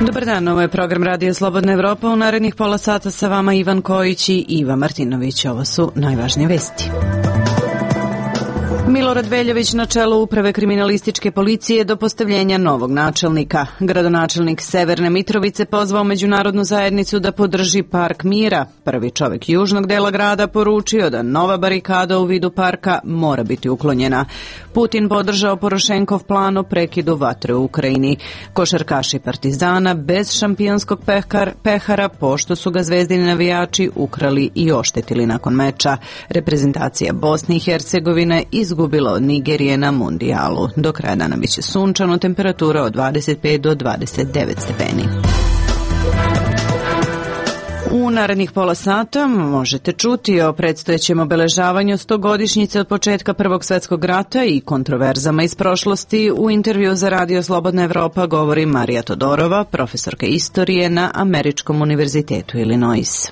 Dobar dan, ovo je program Radio Slobodna Evropa. U narednih pola sata sa vama Ivan Kojić i Iva Martinović. Ovo su najvažnije vesti. Milorad Veljović na čelu Uprave kriminalističke policije do postavljenja novog načelnika. Gradonačelnik Severne Mitrovice pozvao međunarodnu zajednicu da podrži Park mira. Prvi čovjek južnog dela grada poručio da nova barikada u vidu parka mora biti uklonjena. Putin podržao Porošenkov plan o prekidu vatre u Ukrajini. Košarkaši Partizana bez šampionskog pehara pošto su ga zvezdini navijači ukrali i oštetili nakon meča. Reprezentacija Bosne i Hercegovine izgubila od Nigerije na mundijalu. Do kraja dana biće sunčano, temperatura od 25 do 29 stepeni. U narednih pola sata možete čuti o predstojećem obeležavanju 100-godišnjice od početka Prvog svjetskog rata i kontroverzama iz prošlosti. U intervju za Radio Slobodna Evropa govori Marija Todorova, profesorka istorije na Američkom univerzitetu Illinois.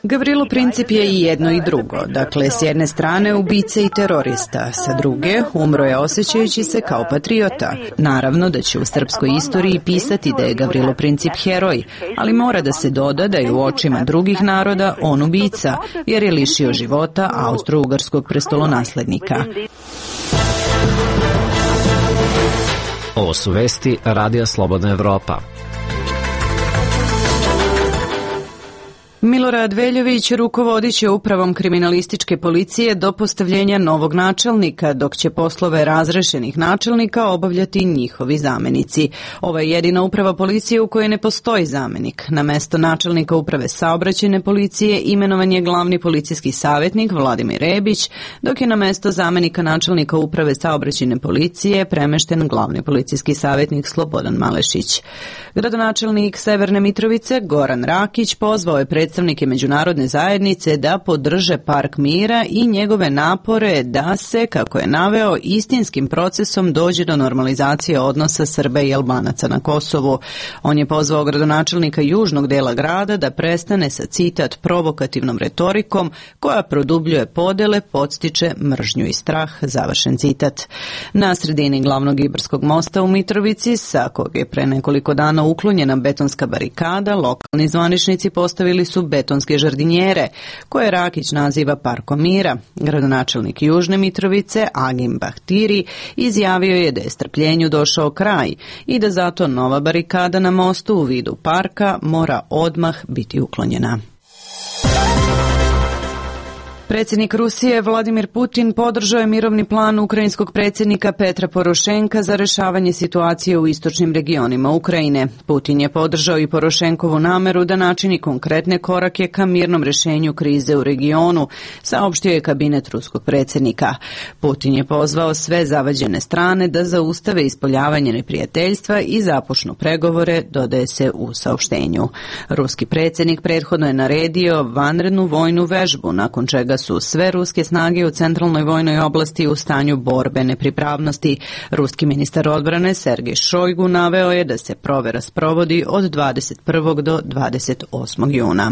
Gavrilo Princip je i jedno i drugo. Dakle, s jedne strane ubica i terorista, sa druge umro je osjećajući se kao patriota. Naravno da će u srpskoj istoriji pisati da je Gavrilo Princip heroj, ali mora da se doda da je u očima drugih naroda on ubica, jer je lišio života austro-ugarskog prestolonaslednika. Ovo su vesti Radija Slobodna Evropa. Milorad Veljović rukovodit će Upravom kriminalističke policije do postavljenja novog načelnika, dok će poslove razrešenih načelnika obavljati njihovi zamenici. Ovo je jedina uprava policije u kojoj ne postoji zamenik. Na mesto načelnika Uprave saobraćajne policije imenovan je glavni policijski savjetnik Vladimir Rebić, dok je na mesto zamenika načelnika Uprave saobraćajne policije premešten glavni policijski savjetnik Slobodan Malešić. Gradonačelnik Severne Mitrovice Goran Rakić pozvao je predstavnike međunarodne zajednice da podrže Park mira i njegove napore da se, kako je naveo, istinskim procesom dođe do normalizacije odnosa Srba i Albanaca na Kosovu. On je pozvao gradonačelnika južnog dela grada da prestane sa, citat, provokativnom retorikom koja produbljuje podele, podstiče mržnju i strah, završen citat. Na sredini glavnog Ibarskog mosta u Mitrovici, sa kog je pre nekoliko dana uklonjena betonska barikada, lokalni zvaničnici postavili su betonske žardinjere, koje Rakić naziva Parkom mira. Gradonačelnik Južne Mitrovice, Agim Bahtiri, izjavio je da je strpljenju došao kraj i da zato nova barikada na mostu u vidu parka mora odmah biti uklonjena. Predsjednik Rusije Vladimir Putin podržao je mirovni plan ukrajinskog predsjednika Petra Porošenka za rješavanje situacije u istočnim regionima Ukrajine. Putin je podržao i Porošenkovu nameru da načini konkretne korake ka mirnom rješenju krize u regionu, saopštio je kabinet ruskog predsjednika. Putin je pozvao sve zavađene strane da zaustave ispoljavanje neprijateljstva i započnu pregovore, dodaje se u saopštenju. Ruski predsjednik prethodno je naredio vanrednu vojnu vežbu, nakon čega su sve ruske snage u centralnoj vojnoj oblasti u stanju borbene pripravnosti. Ruski ministar odbrane Sergej Šojgu naveo je da se provera sprovodi od 21. do 28. juna.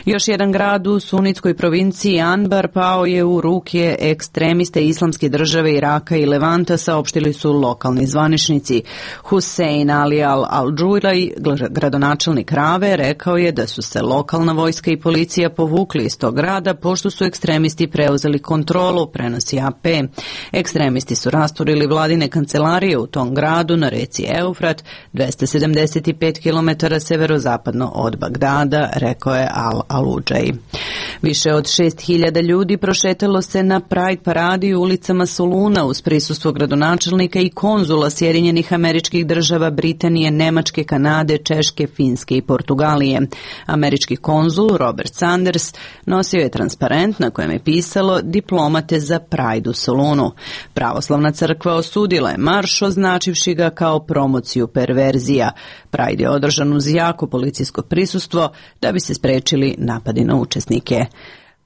Još jedan grad u sunitskoj provinciji Anbar pao je u ruke ekstremiste Islamske države Iraka i Levanta, saopštili su lokalni zvaničnici. Hussein Ali Al-Džulaj, gradonačelnik Rave, rekao je da su se lokalna vojska i policija povukli iz tog grada pošto su ekstremisti preuzeli kontrolu, prenosi AP. Ekstremisti su rasturili vladine kancelarije u tom gradu na reci Eufrat, 275 km severozapadno od Bagdada, rekao je Al-Aludžaj. Više od 6.000 ljudi prošetalo se na Pride paradi u ulicama Soluna uz prisustvo gradonačelnika i konzula Sjedinjenih Američkih Država, Britanije, Nemačke, Kanade, Češke, Finske i Portugalije. Američki konzul Robert Sanders nosio je transparent na kojem je pisalo diplomate za Pride u Solunu. Pravoslavna crkva osudila je marš, označivši ga kao promociju perverzija. Pride je održan uz jako policijsko prisustvo da bi se sprečili napadi na učesnike.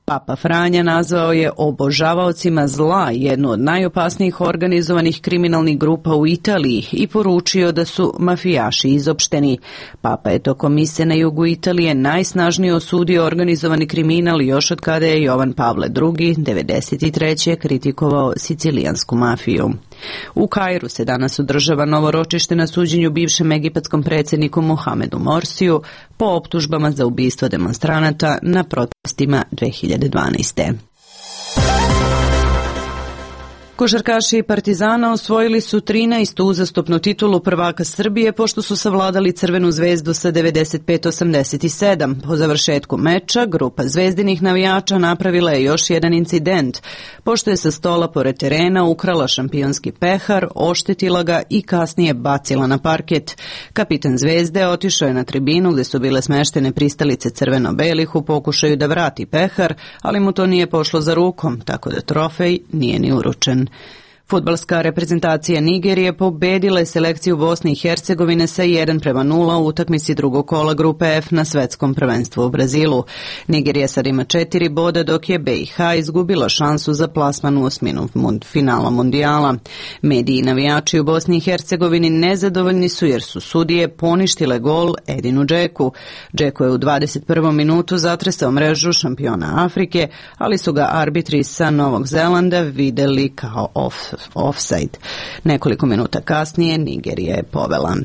Papa Franja nazvao je obožavaocima zla jednu od najopasnijih organizovanih kriminalnih grupa u Italiji i poručio da su mafijaši izopšteni. Papa je tokom mise na jugu Italije najsnažnije osudio organizovani kriminal još od kada je Jovan Pavle II. 93. kritikovao sicilijansku mafiju. U Kairu se danas održava novo ročište na suđenju bivšem egipatskom predsjedniku Mohamedu Morsiju po optužbama za ubistvo demonstranata na protestima 2012. Košarkaši Partizana osvojili su 13. uzastopnu titulu prvaka Srbije pošto su savladali Crvenu zvezdu sa 95-87. Po završetku meča, grupa zvezdinih navijača napravila je još jedan incident, pošto je sa stola pored terena ukrala šampionski pehar, oštetila ga i kasnije bacila na parket. Kapitan Zvezde otišao je na tribinu gdje su bile smeštene pristalice crveno-belih u pokušaju da vrati pehar, ali mu to nije pošlo za rukom, tako da trofej nije ni uručen. Fudbalska reprezentacija Nigerije pobedila je selekciju Bosne i Hercegovine sa 1:0 u utakmici drugog kola grupe F na svetskom prvenstvu u Brazilu. Nigerija sad ima 4 boda, dok je BiH izgubila šansu za plasman u osminu finala mundijala. Mediji i navijači u Bosni i Hercegovini nezadovoljni su jer su sudije poništile gol Edinu Džeku. Džeko je u 21. minutu zatresao mrežu šampiona Afrike, ali su ga arbitri sa Novog Zelanda videli kao offside. Nekoliko minuta kasnije Nigerija je povela.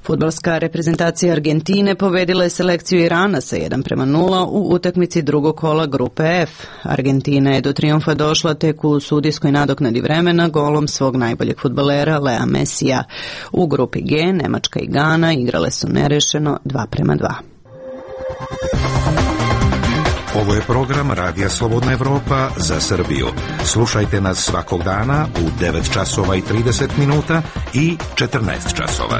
Fudbalska reprezentacija Argentine pobedila je selekciju Irana sa 1:0 u utakmici drugog kola grupe F. Argentina je do trijumfa došla tek u sudijskoj nadoknadi vremena golom svog najboljeg fudbalera Lea Messija. U grupi G Nemačka i Gana igrale su nerešeno 2:2. Ovo je program Radija Slobodna Evropa za Srbiju. Slušajte nas svakog dana u 9 časova i 30 minuta i 14 časova.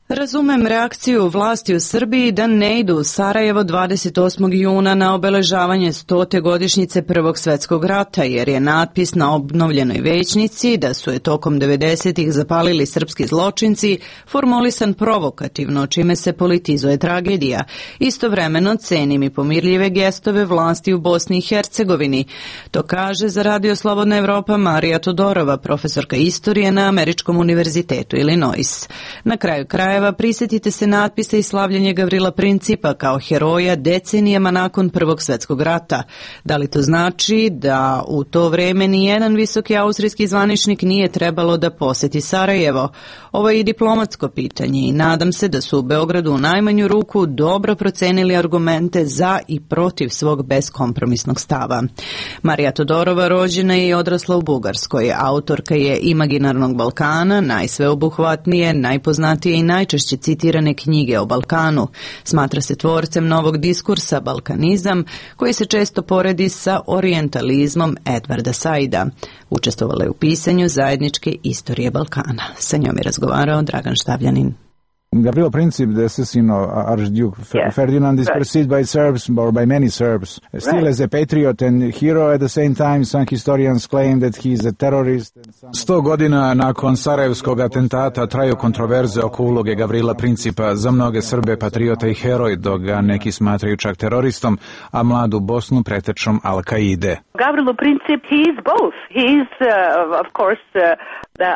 Razumem reakciju vlasti u Srbiji da ne idu u Sarajevo 28. juna na obeležavanje 100. godišnjice Prvog svjetskog rata, jer je natpis na obnovljenoj većnici da su je tokom 90-ih zapalili srpski zločinci formulisan provokativno, čime se politizuje tragedija. Istovremeno cenim i pomirljive gestove vlasti u Bosni i Hercegovini. To kaže za Radio Slobodna Evropa Marija Todorova, profesorka istorije na Američkom univerzitetu Illinois. Na kraju krajeva prisjetite se natpisa i slavljenja Gavrila Principa kao heroja decenijama nakon Prvog svjetskog rata. Da li to znači da u to vrijeme ni jedan visoki austrijski zvaničnik nije trebalo da posjeti Sarajevo? Ovo je i diplomatsko pitanje i nadam se da su u Beogradu u najmanju ruku dobro procenili argumente za i protiv svog beskompromisnog stava. Marija Todorova rođena je i odrasla u Bugarskoj. Autorka je Imaginarnog Balkana, najsveobuhvatnije, najpoznatije i najčešće citirane knjige o Balkanu. Smatra se tvorcem novog diskursa Balkanizam, koji se često poredi sa orijentalizmom Edvarda Saida. Učestvovala je u pisanju zajedničke istorije Balkana. Sa njom je razgovarao Dragan Štavljanin. Gavrilo Princip, the assassin of Archduke Ferdinand, is perceived by Serbs, or by many Serbs, still as a patriot and hero. At the same time, some historians claim that he is a terrorist. 100 godina nakon Sarajevskog atentata traju kontroverze oko uloge Gavrila Principa, za mnoge Srbe patriota i heroj, dok ga neki smatraju čak teroristom, a mladu Bosnu pretečom Al-Kaide. Gavrilo Princip, he is both. He is, of course,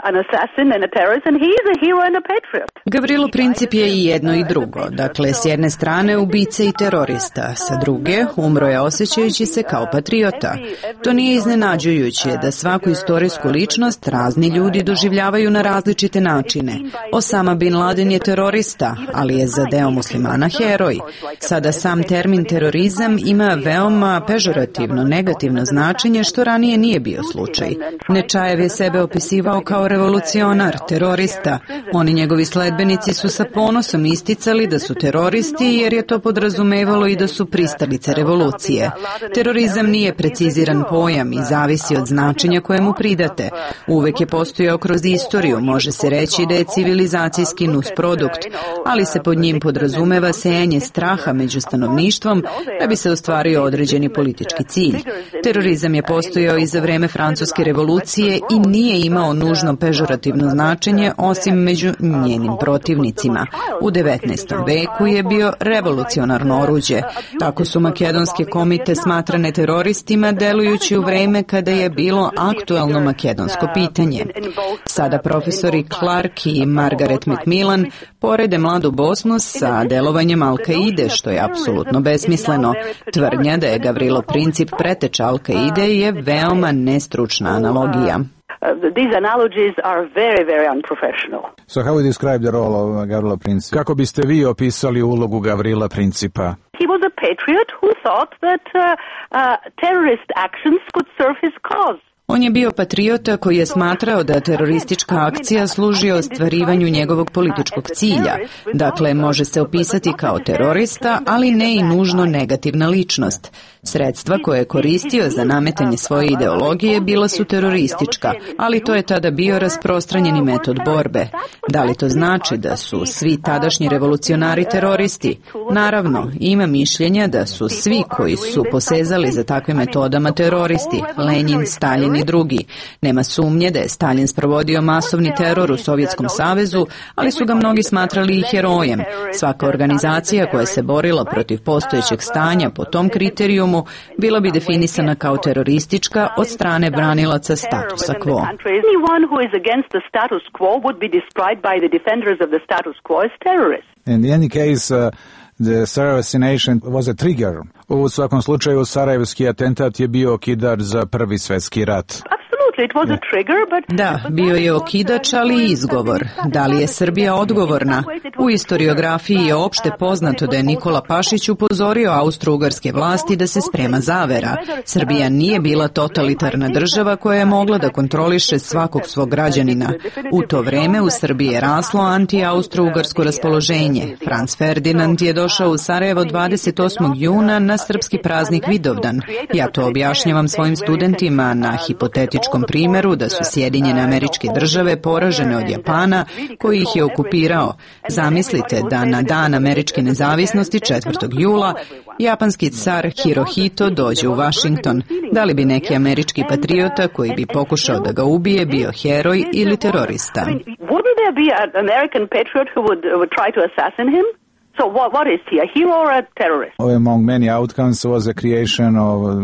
an assassin and a terrorist, and he is a hero and a patriot. Gavrilo Princip je i jedno i drugo. Dakle, s jedne strane ubica i terorista, sa druge umro je osjećajući se kao patriota. To nije iznenađujuće da svaku istorijsku ličnost razni ljudi doživljavaju na različite načine. Osama Bin Laden je terorista, ali je za deo muslimana heroj. Sada sam termin terorizam ima veoma pežorativno, negativno značenje, što ranije nije bio slučaj. Nečajev je sebe opisivao kao revolucionar, terorista. Oni njegovi sledbenici su sa ponosom isticali da su teroristi jer je to podrazumevalo i da su pristalice revolucije. Terorizam nije preciziran pojam i zavisi od značenja koje mu pridate. Uvek je postojao kroz istoriju, može se reći da je civilizacijski nusprodukt, ali se pod njim podrazumeva sejanje straha među stanovništvom da bi se ostvario određeni politički cilj. Terorizam je postojao i za vreme Francuske revolucije i nije imao nužno pežorativno značenje osim među njenim protivnicima. U 19. veku je bio revolucionarno oruđe. Tako su makedonske komite smatrane teroristima delujući u vreme kada je bilo aktuelno makedonsko pitanje. Sada profesori Clark i Margaret Macmillan porede mladu Bosnu sa delovanjem Al-Kaide, što je apsolutno besmisleno. Tvrdnja da je Gavrilo Princip preteča Al-Kaide je veoma nestručna analogija. These analogies are very, very unprofessional. So how would you describe the role of Gavrilo Princip? Kako biste vi opisali ulogu Gavrila Principa? He was a patriot who thought that terrorist actions could serve his cause. On je bio patriota koji je smatrao da teroristička akcija služi ostvarivanju njegovog političkog cilja. Dakle, može se opisati kao terorista, ali ne i nužno negativna ličnost. Sredstva koje je koristio za nametanje svoje ideologije bila su teroristička, ali to je tada bio rasprostranjeni metod borbe. Da li to znači da su svi tadašnji revolucionari teroristi? Naravno, ima mišljenja da su svi koji su posezali za takvim metodama teroristi, Lenin, Stalin i drugi. Nema sumnje da je Stalin sprovodio masovni teror u Sovjetskom savezu, ali su ga mnogi smatrali i herojem. Svaka organizacija koja se borila protiv postojećeg stanja po tom kriterijumu bila bi definisana kao teroristička od strane branilaca statusa quo. In any case, the Sarajevo assassination was a trigger. U svakom slučaju, sarajevski atentat je bio okidač za Prvi svjetski rat. Da, bio je okidač, ali i izgovor. Da li je Srbija odgovorna? U istoriografiji je opšte poznato da je Nikola Pašić upozorio austro-ugarske vlasti da se sprema zavera. Srbija nije bila totalitarna država koja je mogla da kontroliše svakog svog građanina. U to vreme u Srbiji je raslo anti-austro-ugarsko raspoloženje. Franz Ferdinand je došao u Sarajevo 28. juna na srpski praznik Vidovdan. Ja to objašnjavam svojim studentima na hipotetičkom primjeru da su Sjedinjene Američke Države poražene od Japana koji ih je okupirao. Zamislite da na dan američke nezavisnosti 4. jula japanski car Hirohito dođe u Washington. Da li bi neki američki patriota koji bi pokušao da ga ubije bio heroj ili terorista? Wouldn't there be an American patriot who would try to assassinate him? So what is he, a hero or a terrorist? Among many outcomes was the creation of a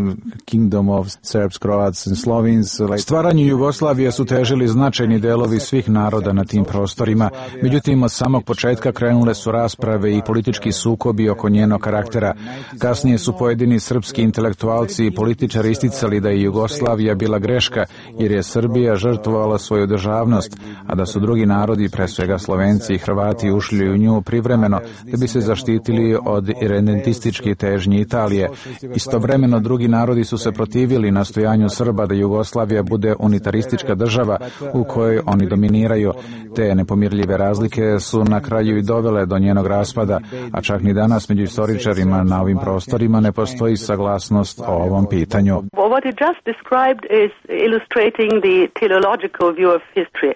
kingdom of Serbs, Croats and Slovenes. Stvaranju Jugoslavije su težili značajni delovi svih naroda na tim prostorima. Međutim, od samog početka krenule su rasprave i politički sukobi oko njenog karaktera. Kasnije su pojedini srpski intelektualci i političari isticali da je Jugoslavija bila greška jer je Srbija žrtvovala svoju državnost, a da su drugi narodi, pre svega Slovenci i Hrvati, ušli u nju privremeno da bi se zaštitili od irredentističke težnje Italije. Istovremeno drugi narodi su se protivili nastojanju Srba da Jugoslavija bude unitaristička država u kojoj oni dominiraju. Te nepomirljive razlike su na kraju i dovele do njenog raspada, a čak ni danas među istoričarima na ovim prostorima ne postoji saglasnost o ovom pitanju. What you just described is illustrating the teleological view of history.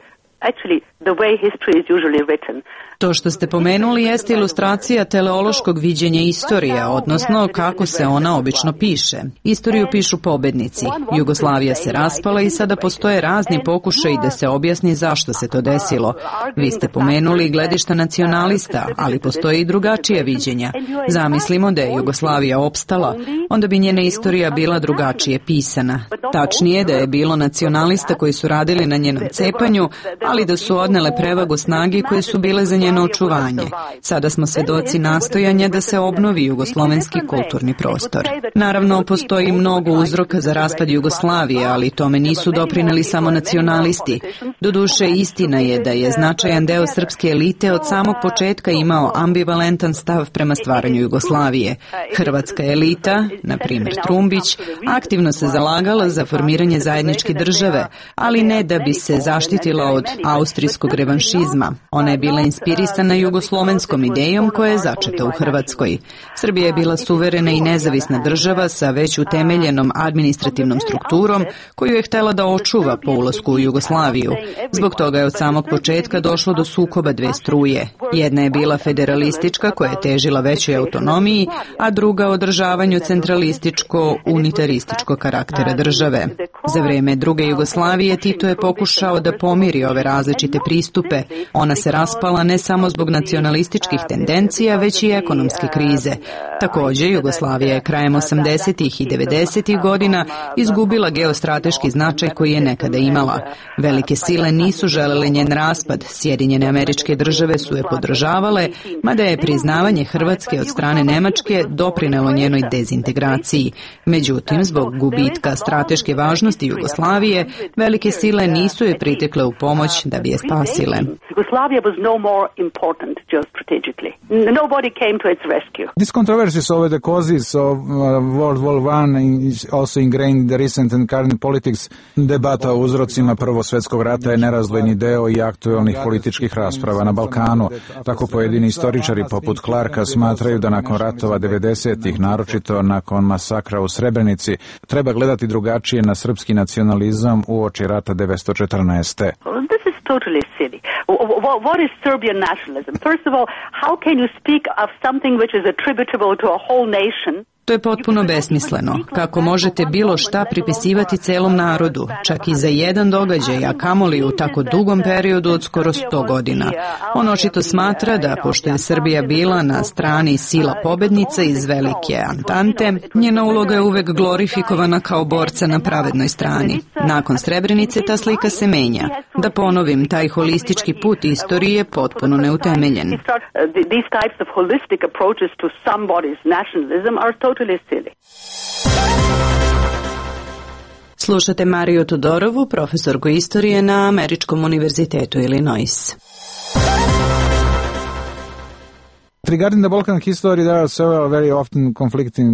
Actually, the way history is usually written. To što ste pomenuli jeste ilustracija teleološkog viđenja istorije, odnosno kako se ona obično piše. Istoriju pišu pobednici. Jugoslavija se raspala i sada postoje razni pokušaji da se objasni zašto se to desilo. Vi ste pomenuli gledišta nacionalista, ali postoje i drugačija viđenja. Zamislimo da je Jugoslavija opstala, onda bi njena istorija bila drugačije pisana. Tačnije da je bilo nacionalista koji su radili na njenom cepanju, ali da su odnele prevagu snage koje su bile za njeno očuvanje. Sada smo svedoci nastojanja da se obnovi jugoslovenski kulturni prostor. Naravno, postoji mnogo uzroka za raspad Jugoslavije, ali tome nisu doprineli samo nacionalisti. Doduše, istina je da je značajan deo srpske elite od samog početka imao ambivalentan stav prema stvaranju Jugoslavije. Hrvatska elita, na primjer Trumbić, aktivno se zalagala za formiranje zajedničke države, ali ne da bi se zaštitila od austrijskog revanšizma. Ona je bila inspirisana inspirisana jugoslovenskom idejom koja je začeta u Hrvatskoj. Srbija je bila suverena i nezavisna država sa već utemeljenom administrativnom strukturom koju je htela da očuva po ulasku u Jugoslaviju. Zbog toga je od samog početka došlo do sukoba dve struje. Jedna je bila federalistička koja je težila većoj autonomiji, a druga održavanju centralističko-unitarističkog karaktera države. Za vreme druge Jugoslavije Tito je pokušao da pomiri ove različite pristupe. Ona se raspala ne samo zbog nacionalističkih tendencija, već i ekonomske krize. Također, Jugoslavija je krajem 80. i 90. godina izgubila geostrateški značaj koji je nekada imala. Velike sile nisu želele njen raspad, Sjedinjene Američke Države su je podržavale, mada je priznavanje Hrvatske od strane Nemačke doprinelo njenoj dezintegraciji. Međutim, zbog gubitka strateške važnosti Jugoslavije, velike sile nisu je pritekle u pomoć da bi je spasile. This controversies over the causes of World War I is also ingrained in the recent and current politics. Debata o uzrocima Prvog svjetskog rata je nerazdvojni deo i aktuelnih političkih rasprava na Balkanu. Tako pojedini istoričari poput Clarka smatraju da nakon ratova 90-ih, naročito nakon masakra u Srebrenici, treba gledati drugačije na srpski nacionalizam uoči rata 1914. Totally silly. What is Serbian nationalism? First of all, how can you speak of something which is attributable to a whole nation? To je potpuno besmisleno. Kako možete bilo šta pripisivati celom narodu, čak i za jedan događaj, a kamoli u tako dugom periodu od skoro 100 godina. On očito smatra da, pošto je Srbija bila na strani sila pobednica iz Velike Antante, njena uloga je uvek glorifikovana kao borca na pravednoj strani. Nakon Srebrenice ta slika se menja. Da ponovim, taj holistički put istorije je potpuno neutemeljen. These types of holistic approaches to somebody's nationalism are totally silly. Slušate Mariju Todorovu, profesorku istorije na Američkom univerzitetu Illinois. Regarding the Balkan history, there are several very often conflicting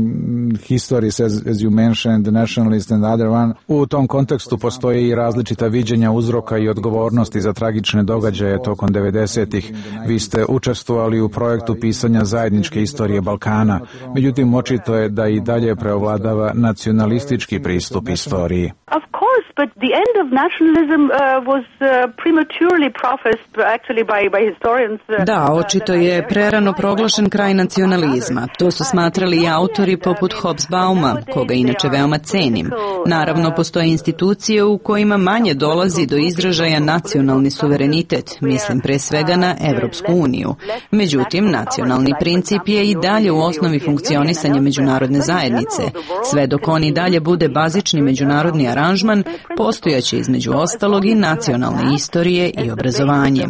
histories, as you mentioned, the nationalist and the other one. U tom kontekstu postoje i različita viđenja uzroka i odgovornosti za tragične događaje tokom 90-ih. Vi ste učestvovali u projektu pisanja zajedničke istorije Balkana. Međutim, očito je da i dalje preovladava nacionalistički pristup istoriji. Of course, but the end of nationalism was prematurely professed actually by historians. Da, očito je prerano proglašen kraj nacionalizma. To su smatrali i autori poput Hobsbauma, koga inače veoma cenim. Naravno, postoje institucije u kojima manje dolazi do izražaja nacionalni suverenitet, mislim pre svega na Evropsku uniju. Međutim, nacionalni princip je i dalje u osnovi funkcionisanja međunarodne zajednice. Sve dok on i dalje bude bazični međunarodni aranžman, postojaće između ostalog i nacionalne istorije i obrazovanje.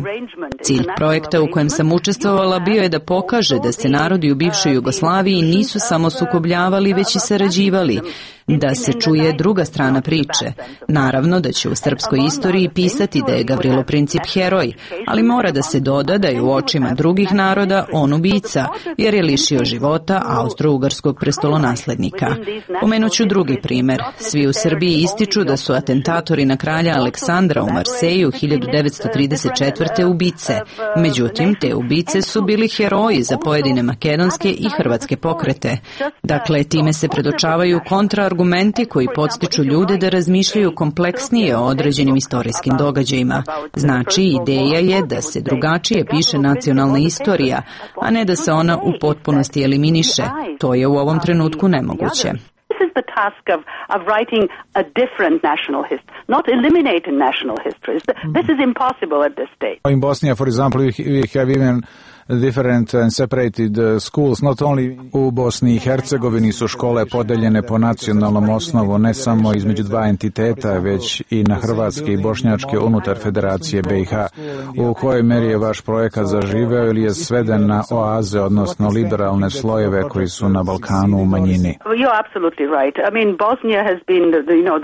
Cilj projekta u kojem sam učestvovala bio je da pokaže da se narodi u bivšoj Jugoslaviji nisu samo sukobljavali, već i sarađivali, da se čuje druga strana priče. Naravno da će u srpskoj istoriji pisati da je Gavrilo Princip heroj, ali mora da se doda da je u očima drugih naroda on ubica, jer je lišio života austro-ugarskog prestolonaslednika. Pomenuću drugi primer. Svi u Srbiji ističu da su atentatori na kralja Aleksandra u Marseju 1934. ubice. Međutim, te ubice su bili heroji za pojedine makedonske i hrvatske pokrete. Dakle, time se predočavaju kontraargumenti koji podstiču ljude da razmišljaju kompleksnije o određenim istorijskim događajima. Znači, ideja je da se drugačije piše nacionalna istorija, a ne da se ona u potpunosti eliminiše. To je u ovom trenutku nemoguće. The task of writing a different national history, not eliminate national histories. This is impossible at this stage. In Bosnia, for example, we have even different and separated schools. Not only u Bosni i Hercegovini su škole podeljene po nacionalnom osnovu, ne samo između dva entiteta, već i na hrvatske i bošnjačke unutar Federacije BiH. U kojoj meri je vaš projekat zaživeo ili je sveden na oaze, odnosno liberalne slojeve koji su na Balkanu u manjini? You're absolutely right. I mean, Bosnia has been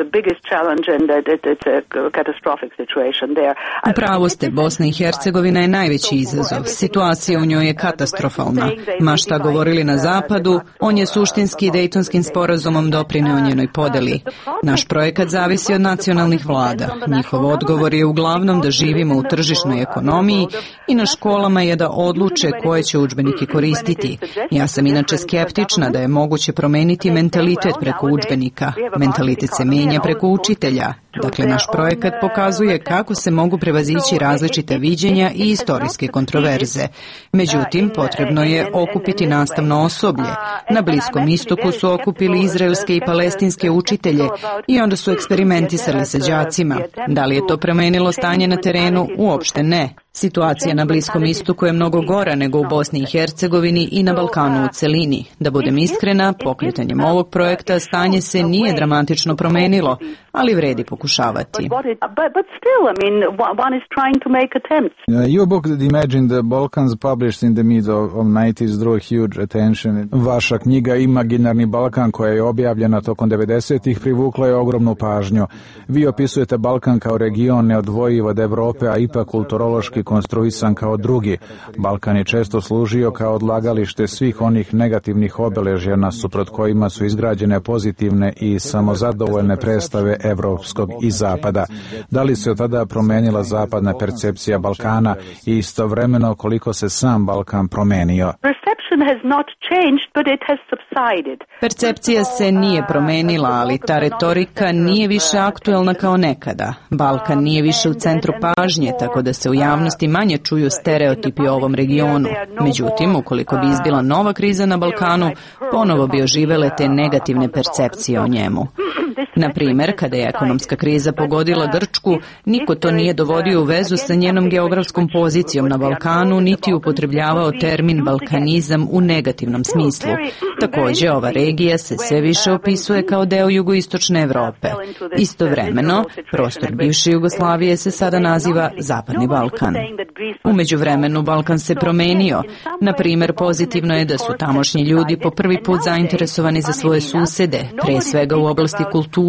the biggest challenge, and it's a catastrophic situation there. Upravo ste, Bosna i Hercegovina je najveći izazov. Situacija u njoj je katastrofalna. Ma šta govorili na zapadu, on je suštinski Dejtonskim sporazumom doprineo njenoj podeli. Naš projekat zavisi od nacionalnih vlada. Njihov odgovor je uglavnom da živimo u tržišnoj ekonomiji i na školama je da odluče koje će udžbenike koristiti. Ja sam inače skeptična da je moguće promeniti mentalitet preko udžbenika. Mentalitet se menja preko učitelja. Dakle, naš projekat pokazuje kako se mogu prevazići različite viđenja i istorijske kontroverze. Međutim, potrebno je okupiti nastavno osoblje. Na Bliskom istoku su okupili izraelske i palestinske učitelje i onda su eksperimentisali sa đacima. Da li je to promenilo stanje na terenu? Uopšte ne. Situacija na Bliskom istoku je mnogo gora nego u Bosni i Hercegovini i na Balkanu u celini. Da budem iskrena, pokretanjem ovog projekta stanje se nije dramatično promenilo, ali vredi pokušavati. Your book, Imagine the Balkans, published in the mid of 90s, drew huge attention. Vaša knjiga Imaginarni Balkan, koja je objavljena tokom 90-ih, privukla je ogromnu pažnju. Vi opisujete Balkan kao region neodvojiv od Evrope, a ipak kulturološki konstruisan kao drugi. Balkan je često služio kao odlagalište svih onih negativnih obeležja nasuprot kojima su izgrađene pozitivne i samozadovoljne predstave evropskog i zapada. Da li se od tada promenila zapadna percepcija Balkana i istovremeno koliko se sam Balkan promenio? Percepcija se nije promenila, ali ta retorika nije više aktuelna kao nekada. Balkan nije više u centru pažnje, tako da se u javnosti manje čuju stereotipi o ovom regionu. Međutim, ukoliko bi izbila nova kriza na Balkanu, ponovo bi oživele te negativne percepcije o njemu. Na primjer, kada je ekonomska kriza pogodila Grčku, niko to nije dovodio u vezu sa njenom geografskom pozicijom na Balkanu, niti upotrebljavao termin balkanizam u negativnom smislu. Također, ova regija se sve više opisuje kao deo jugoistočne Evrope. Istovremeno, prostor bivše Jugoslavije se sada naziva Zapadni Balkan. U međuvremenu Balkan se promenio. Na primjer, pozitivno je da su tamošnji ljudi po prvi put zainteresovani za svoje susede, pre svega u oblasti kulture.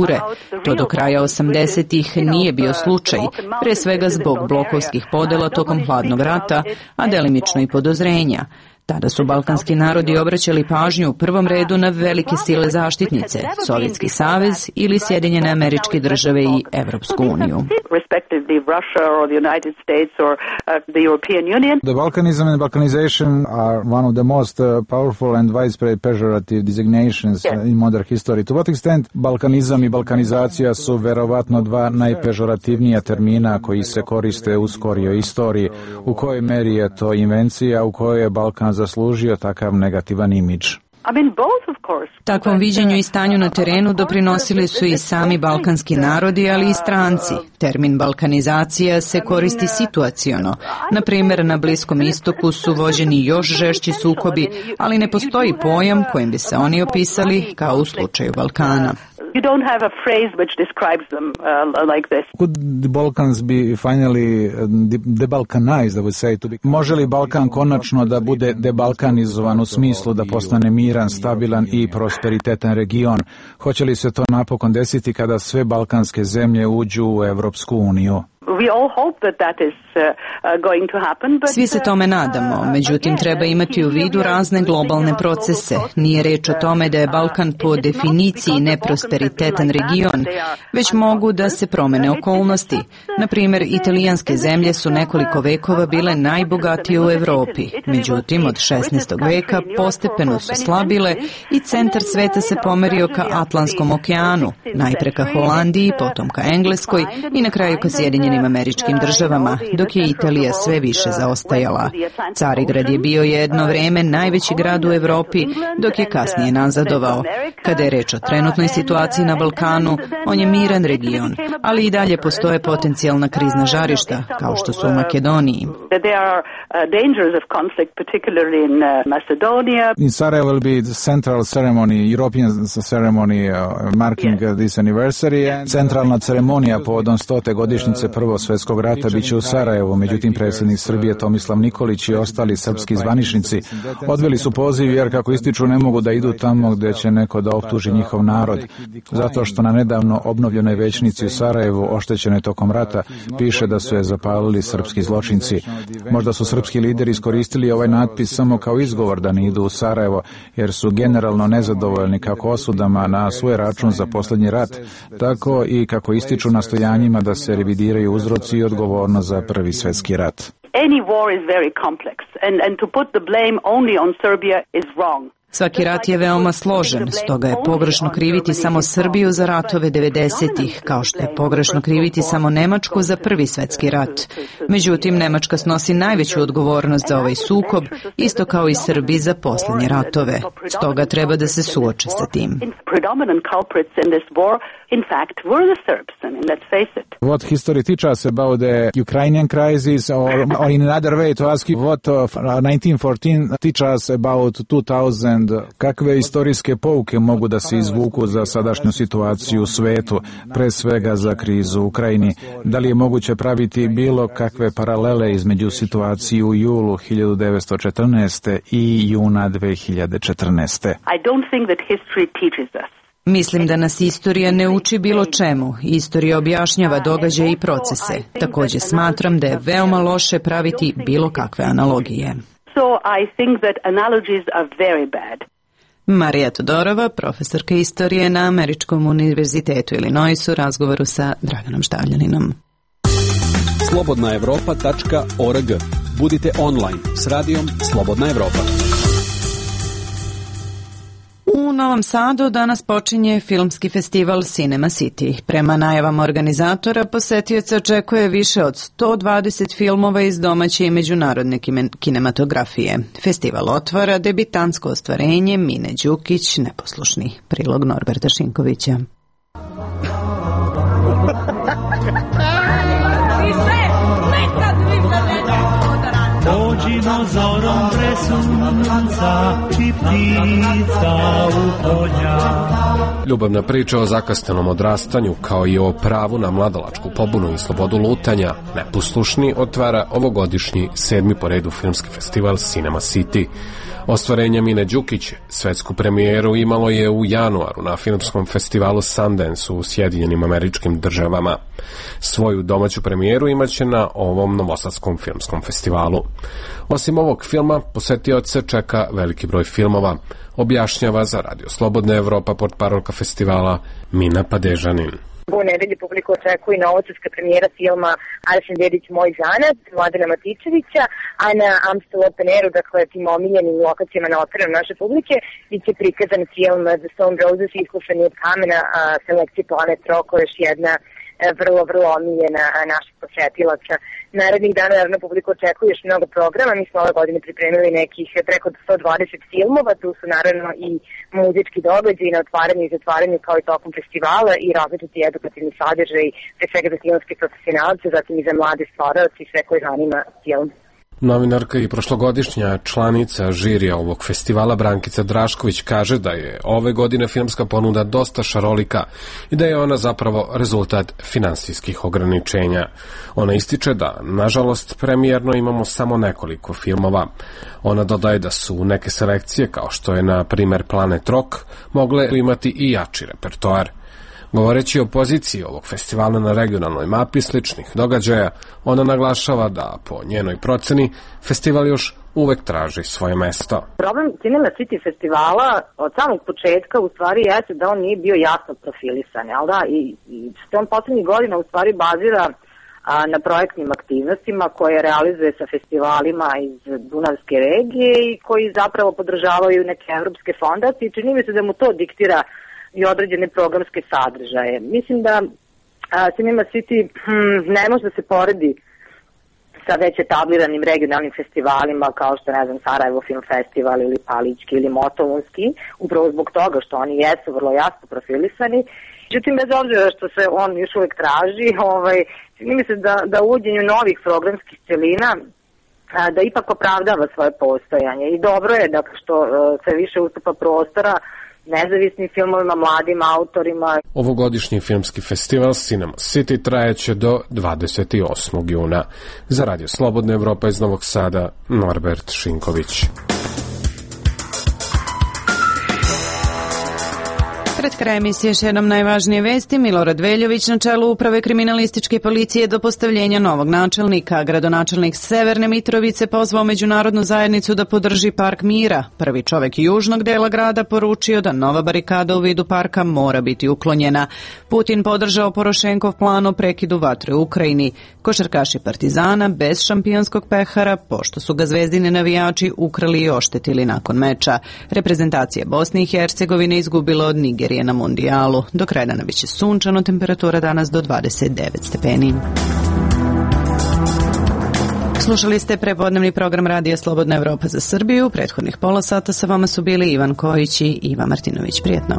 To do kraja 80-ih nije bio slučaj, pre svega zbog blokovskih podela tokom hladnog rata, a delimično i podozrenja. Tada su balkanski narodi obraćali pažnju u prvom redu na velike sile zaštitnice, Sovjetski savez ili Sjedinjene Američke Države i Evropsku uniju. The Balkanism and Balkanization are one of the most powerful and widespread pejorative designations in modern history. To what extent balkanizam i balkanizacija su verovatno dva najpežorativnija termina koji se koriste u skorijoj istoriji? U kojoj meri je to invencija, u kojoj je Balkan zaslužio takav negativan imidž? Takvom viđenju i stanju na terenu doprinosili su i sami balkanski narodi, ali i stranci. Termin balkanizacija se koristi situaciono. Na primjer, na Bliskom istoku su vođeni još žešći sukobi, ali ne postoji pojam kojim bi se oni opisali kao u slučaju Balkana. You don't have a phrase which describes them like this. Could the Balkans be finally debalkanized, I would say? Može li Balkan konačno da bude debalkanizovan u smislu da postane miran, stabilan i prosperitetan region? Hoće li se to napokon desiti kada sve balkanske zemlje uđu u Evropsku uniju? Svi se tome nadamo, međutim treba imati u vidu razne globalne procese. Nije reč o tome da je Balkan po definiciji neprosperitetan region, već mogu da se promene okolnosti. Na primjer, italijanske zemlje su nekoliko vekova bile najbogatije u Evropi, međutim od 16. veka postepeno su slabile i centar sveta se pomerio ka Atlantskom okeanu, najpre ka Holandiji, potom ka Engleskoj i na kraju ka Sjedinjenim Američkim Državama, dok je Italija sve više zaostajala. Carigrad je bio jedno vreme najveći grad u Evropi, dok je kasnije nazadovao. Kada je reč o trenutnoj situaciji na Balkanu, on je miran region, ali i dalje postoje potencijalna krizna žarišta, kao što su u Makedoniji. In Sarajevo will be the central ceremony, European ceremony marking this anniversary. Centralna ceremonija povodom 100. godišnjice Prvog svjetskog rata biće u Sarajevu, međutim predsjednik Srbije Tomislav Nikolić i ostali srpski zvaničnici odveli su poziv jer kako ističu ne mogu da idu tamo gdje će neko da optuži njihov narod, zato što na nedavno obnovljenoj većnici u Sarajevu oštećene tokom rata piše da su je zapalili srpski zločinci. Možda su srpski lideri iskoristili ovaj natpis samo kao izgovor da ne idu u Sarajevo, jer su generalno nezadovoljni kako osudama na svoj račun za posljednji rat, tako i kako ističu nastojanjima da se revidiraju uzroci i odgovornost za Prvi svjetski rat. Any war is very complex and to put the blame only on Serbia is wrong. Svaki rat je veoma složen, stoga je pogrešno kriviti samo Srbiju za ratove 90-ih, kao što je pogrešno kriviti samo Nemačku za Prvi svjetski rat. Međutim, Nemačka snosi najveću odgovornost za ovaj sukob, isto kao i Srbi za posljednje ratove. Stoga treba da se suoče sa tim. What history teaches us about the Ukrainian crisis, or in another way to ask you what 1914 teaches us about 2000. Kakve istorijske pouke mogu da se izvuku za sadašnju situaciju u svetu, pre svega za krizu u Ukrajini? Da li je moguće praviti bilo kakve paralele između situacije u julu 1914. i juna 2014. I don't think that history teaches us. Mislim da nas istorija ne uči bilo čemu. Istorija objašnjava događaje i procese. Također smatram da je veoma loše praviti bilo kakve analogije. So I think that analogies are very bad. Marija Todorova, profesorka istorije na Američkom univerzitetu Illinoisu, u razgovoru sa Draganom Štavljaninom. slobodnaevropa.org. Budite online s radijom Slobodna Evropa. U Novom Sadu danas počinje filmski festival Cinema City. Prema najavama organizatora, posetioca očekuje više od 120 filmova iz domaće i međunarodne kinematografije. Festival otvara debitansko ostvarenje Mine Đukić, Neposlušni. Prilog Norberta Šinkovića. Dođimo zorom pre sunca, či ptica u polja. Ljubavna priča o zakasnenom odrastanju, kao i o pravu na mladalačku pobunu i slobodu lutanja, Neposlušni otvara ovogodišnji 7. po redu filmski festival Cinema City. Ostvarenje Mine Đukić svetsku premijeru imalo je u januaru na filmskom festivalu Sundance u Sjedinjenim Američkim Državama. Svoju domaću premijeru imaće na ovom novosadskom filmskom festivalu. Osim ovog filma, posetioce čeka veliki broj filmova, objašnjava za Radio Slobodna Evropa portparolka festivala Mina Padežanin. U nedelji publiku očekuje novosadska premijera filma Arsen Dedić Moj zanac, Mladena Matičevića, a na Amstel Open Airu, dakle tim omiljenim lokacijama na otvorenom naše publike, biće prikazan film The Stone Roses, Iskušani od kamena, selekcije Planet Rock, koja je još jedna vrlo omiljena naših posjetilaca. Narednih dana, naravno, publiku očekuje još mnogo programa. Mi smo ove godine pripremili nekih preko 120 filmova, tu su naravno i muzički događaji na otvaranju i zatvaranju kao i tokom festivala i različiti edukativni sadržaj, pre svega za filmske profesionalce, zatim i za mlade stvaraoce i sve koje zanima film. Novinarka i prošlogodišnja članica žirija ovog festivala Brankica Drašković kaže da je ove godine filmska ponuda dosta šarolika i da je ona zapravo rezultat finansijskih ograničenja. Ona ističe da, nažalost, premijerno imamo samo nekoliko filmova. Ona dodaje da su neke selekcije, kao što je na primer Planet Rock, mogle imati i jači repertoar. Govoreći o poziciji ovog festivala na regionalnoj mapi sličnih događaja, ona naglašava da, po njenoj proceni, festival još uvek traži svoje mesto. Problem Cinema City festivala od samog početka u stvari jeste da on nije bio jasno profilisan, jel da? I što on poslednjih godina u stvari bazira na projektnim aktivnostima koje realizuje sa festivalima iz Dunavske regije i koji zapravo podržavaju neke evropske fondacije. Čini mi se da mu to diktira i određene programske sadržaje. Mislim da Cinema City ne može da se poredi sa već etabliranim regionalnim festivalima kao što, ne znam, Sarajevo Film Festival ili Palićki ili Motovunski, upravo zbog toga što oni jesu vrlo jasno profilisani. Međutim, bez obzira što se on još uvek traži, čini mi se da uvođenju novih programskih celina da ipak opravdava svoje postojanje. I dobro je da što se više ustupa prostora nezavisnim filmovima, mladim autorima. Ovogodišnji filmski festival Cinema City trajeće do 28. juna. Za Radio Slobodna Evropa iz Novog Sada, Norbert Šinković. Pred kraj emisije još jednom najvažnije vesti. Milorad Veljović na čelu uprave kriminalističke policije do postavljenja novog načelnika. Gradonačelnik Severne Mitrovice pozvao međunarodnu zajednicu da podrži Park mira. Prvi čovek južnog dela grada poručio da nova barikada u vidu parka mora biti uklonjena. Putin podržao Porošenkov plan o prekidu vatre u Ukrajini. Košarkaši Partizana bez šampionskog pehara, pošto su ga zvezdini navijači ukrali i oštetili nakon meča. Reprezentacija Bosne i Hercegovine izgubila od Nigerije na mundijalu. Do kraja dana biće sunčano, temperatura danas do 29 stepeni. Slušali ste prepodnevni program Radija Slobodna Evropa za Srbiju. Prethodnih pola sata sa vama su bili Ivan Kojić i Iva Martinović. Prijetno.